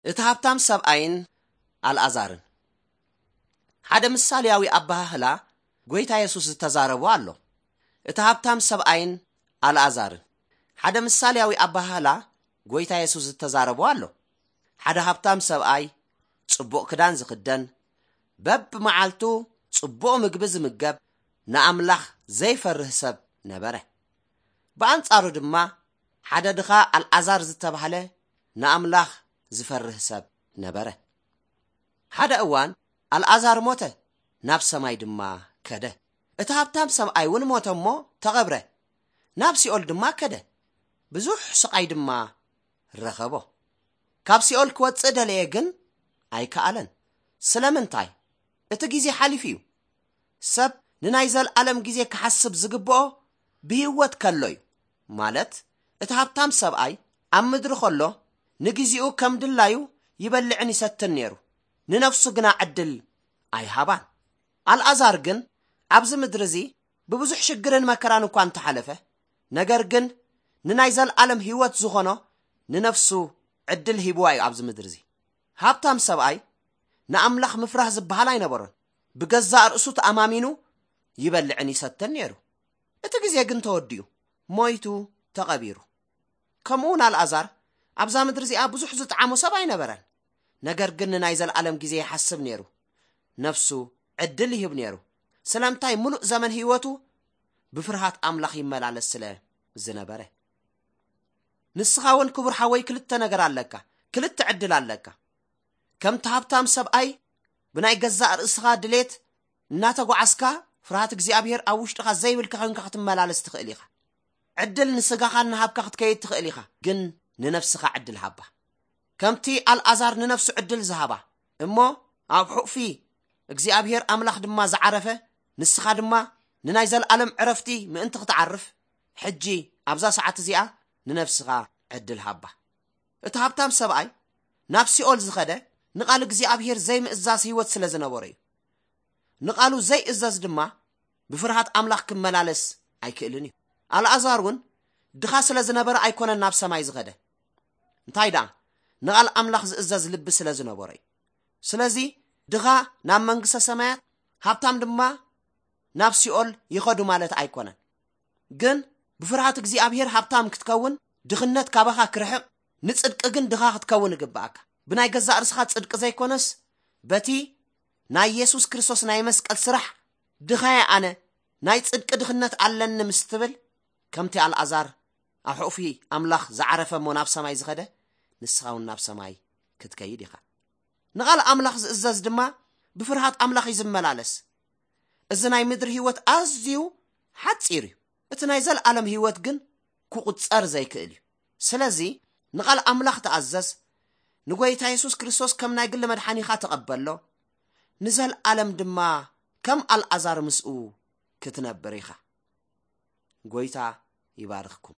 እቲ ሃብታም ሰብኣይን ኣልኣዛርን። ሓደ ምሳሌያዊ ኣበሃህላ ጎይታ የሱስ ዝተዛረቦ ኣሎ። እቲ ሃብታም ሰብኣይን ኣልኣዛርን። ሓደ ምሳሌያዊ ኣበሃህላ ጎይታ የሱስ ዝተዛረቦ ኣሎ። ሓደ ሃብታም ሰብኣይ ጽቡቕ ክዳን ዝኽደን፣ በብመዓልቱ ጽቡቕ ምግቢ ዝምገብ፣ ንኣምላኽ ዘይፈርህ ሰብ ነበረ። ብኣንጻሩ ድማ ሓደ ድኻ ኣልኣዛር ዝተባህለ ንኣምላኽ ዝፈርህ ሰብ ነበረ። ሓደ እዋን ኣልኣዛር ሞተ፣ ናብ ሰማይ ድማ ከደ። እቲ ሃብታም ሰብኣይ እውን ሞተ እሞ ተቐብረ፣ ናብ ሲኦል ድማ ከደ። ብዙሕ ስቓይ ድማ ረኸቦ። ካብ ሲኦል ክወጽእ ደለየ፣ ግን ኣይከኣለን። ስለምንታይ? እቲ ግዜ ሓሊፉ እዩ። ሰብ ንናይ ዘለኣለም ግዜ ክሓስብ ዝግብኦ ብህይወት ከሎ እዩ። ማለት፣ እቲ ሃብታም ሰብኣይ ኣብ ምድሪ ከሎ ንግዜኡ ከም ድላዩ ይበልዕን ይሰትን ነይሩ፣ ንነፍሱ ግና ዕድል ኣይሃባን። ኣልኣዛር ግን ኣብዚ ምድሪ እዚ ብብዙሕ ሽግርን መከራን እኳ እንተሓለፈ፣ ነገር ግን ንናይ ዘለኣለም ህይወት ዝኾኖ ንነፍሱ ዕድል ሂብዋ እዩ ኣብዚ ምድሪ እዚ። ሃብታም ሰብኣይ ንኣምላኽ ምፍራህ ዝበሃል ኣይነበሮን። ብገዛእ ርእሱ ተኣማሚኑ ይበልዕን ይሰትን ነይሩ። እቲ ግዜ ግን ተወዲኡ፣ ሞይቱ፣ ተቐቢሩ። ከምኡ እውን ኣልኣዛር ኣብዛ ምድሪ እዚኣ ብዙሕ ዝጠዓሞ ሰብ ኣይነበረን። ነገር ግን ንናይ ዘለኣለም ግዜ ይሓስብ ነይሩ። ነፍሱ ዕድል ይህብ ነይሩ። ስለምንታይ? ምሉእ ዘመን ህይወቱ ብፍርሃት ኣምላኽ ይመላለስ ስለ ዝነበረ። ንስኻ እውን ክቡር ሓወይ ክልተ ነገር ኣለካ፣ ክልተ ዕድል ኣለካ። ከምቲ ሃብታም ሰብኣይ ብናይ ገዛእ ርእስኻ ድሌት እናተጓዓዝካ ፍርሃት እግዚኣብሔር ኣብ ውሽጥኻ ዘይብልካ ኮይንካ ክትመላለስ ትኽእል ኢኻ። ዕድል ንስጋኻ እናሃብካ ክትከይድ ትኽእል ኢኻ፣ ግን ንነፍስኻ ዕድል ሃባ። ከምቲ ኣልኣዛር ንነፍሱ ዕድል ዝሃባ እሞ ኣብ ሑቕፊ እግዚኣብሔር ኣምላኽ ድማ ዝዓረፈ፣ ንስኻ ድማ ንናይ ዘለኣለም ዕረፍቲ ምእንቲ ክትዓርፍ፣ ሕጂ ኣብዛ ሰዓት እዚኣ ንነፍስኻ ዕድል ሃባ። እቲ ሃብታም ሰብኣይ ናብ ሲኦል ዝኸደ ንቓል እግዚኣብሔር ዘይምእዛዝ ህይወት ስለ ዝነበሮ እዩ። ንቓሉ ዘይእዘዝ ድማ ብፍርሃት ኣምላኽ ክመላለስ ኣይክእልን እዩ። ኣልኣዛር እውን ድኻ ስለ ዝነበረ ኣይኮነን ናብ ሰማይ ዝኸደ። እንታይ ደኣ፣ ንቓል ኣምላኽ ዝእዘዝ ልቢ ስለ ዝነበሮ እዩ። ስለዚ ድኻ ናብ መንግስተ ሰማያት፣ ሃብታም ድማ ናብ ሲኦል ይኸዱ ማለት ኣይኮነን። ግን ብፍርሃት እግዚኣብሔር ሃብታም ክትከውን፣ ድኽነት ካባኻ ክርሕቕ፣ ንጽድቂ ግን ድኻ ክትከውን ይግብኣካ። ብናይ ገዛእ ርእስኻ ጽድቂ ዘይኮነስ፣ በቲ ናይ የሱስ ክርስቶስ ናይ መስቀል ስራሕ፣ "ድኻየ ኣነ፣ ናይ ጽድቂ ድኽነት ኣለኒ" ምስ ትብል፣ ከምቲ ኣልኣዛር ኣብ ሕቑፊ ኣምላኽ ዝዓረፈ እሞ ናብ ሰማይ ዝኸደ፣ ንስኻ እውን ናብ ሰማይ ክትከይድ ኢኻ። ንቓል ኣምላኽ ዝእዘዝ ድማ ብፍርሃት ኣምላኽ እዩ ዝመላለስ። እዚ ናይ ምድሪ ህይወት ኣዝዩ ሓጺር እዩ። እቲ ናይ ዘለኣለም ህይወት ግን ክቑጸር ዘይክእል እዩ። ስለዚ ንቓል ኣምላኽ ተኣዘዝ፣ ንጎይታ የሱስ ክርስቶስ ከም ናይ ግሊ መድሓኒኻ ተቐበሎ፣ ንዘለኣለም ድማ ከም ኣልኣዛር ምስኡ ክትነብር ኢኻ። ጎይታ ይባርኽኩም።